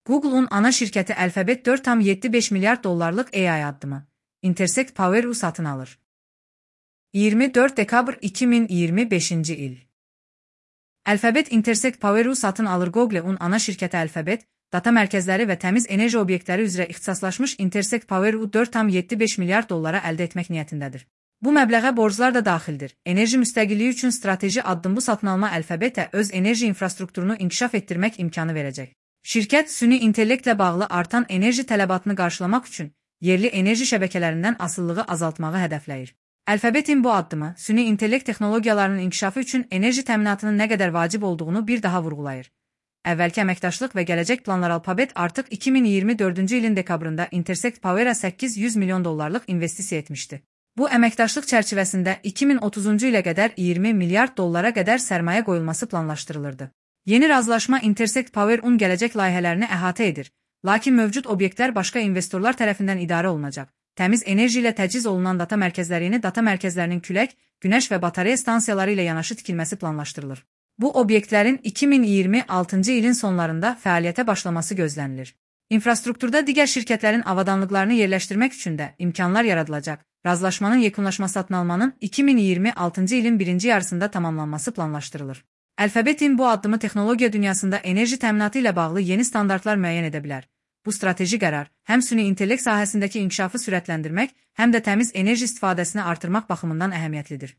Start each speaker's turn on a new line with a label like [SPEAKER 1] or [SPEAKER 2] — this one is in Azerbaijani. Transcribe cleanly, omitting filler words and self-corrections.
[SPEAKER 1] Google'un ana şirkəti Alphabet 4,75 milyard dollarlıq AI addımı Intersect Power-u satın alır. 24 dekabr 2025 il. Alphabet Intersect Power-u satın alır. Google'un ana şirkəti Alphabet, data mərkəzləri və təmiz enerji obyektləri üzrə ixtisaslaşmış Intersect Power-u 4,75 milyard dollara əldə etmək niyyətindədir. Bu məbləğə borclar da daxildir. Enerji müstəqilliyi üçün strateji addım. Bu satın alma Alphabetə öz enerji infrastrukturunu inkişaf etdirmək imkanı verəcək. Şirkət, süni intellektlə bağlı artan enerji tələbatını qarşılamaq üçün yerli enerji şəbəkələrindən asılılığı azaltmağı hədəfləyir. Alphabetin bu addımı, süni intellekt texnologiyalarının inkişafı üçün enerji təminatının nə qədər vacib olduğunu bir daha vurğulayır. Əvvəlki əməkdaşlıq və gələcək planlar. Alphabet artıq 2024-cü ilin dekabrında Intersect Power-a 800 milyon dollarlıq investisiya etmişdi. Bu əməkdaşlıq çərçivəsində 2030-cu ilə qədər 20 milyard dollara qədər sərmayə qoyulması planlaşdırılırdı. Yeni razılaşma Intersect Power-un gələcək layihələrini əhatə edir, lakin mövcud obyektlər başqa investorlar tərəfindən idarə olunacaq. Təmiz enerji ilə təchiz olunan data mərkəzlərinin külək, günəş və batareya stansiyaları ilə yanaşı tikilməsi planlaşdırılır. Bu obyektlərin 2026-cı ilin sonlarında fəaliyyətə başlaması gözlənilir. İnfrastrukturda digər şirkətlərin avadanlıqlarını yerləşdirmək üçün də imkanlar yaradılacaq. Razılaşmanın yekunlaşması satın almanın 2026-cı ilin birinci yarısında tamamlanması planlaşdırılır. Alphabetin bu addımı texnologiya dünyasında enerji təminatı ilə bağlı yeni standartlar müəyyən edə bilər. Bu strateji qərar həm süni intellekt sahəsindəki inkişafı sürətləndirmək, həm də təmiz enerji istifadəsini artırmaq baxımından əhəmiyyətlidir.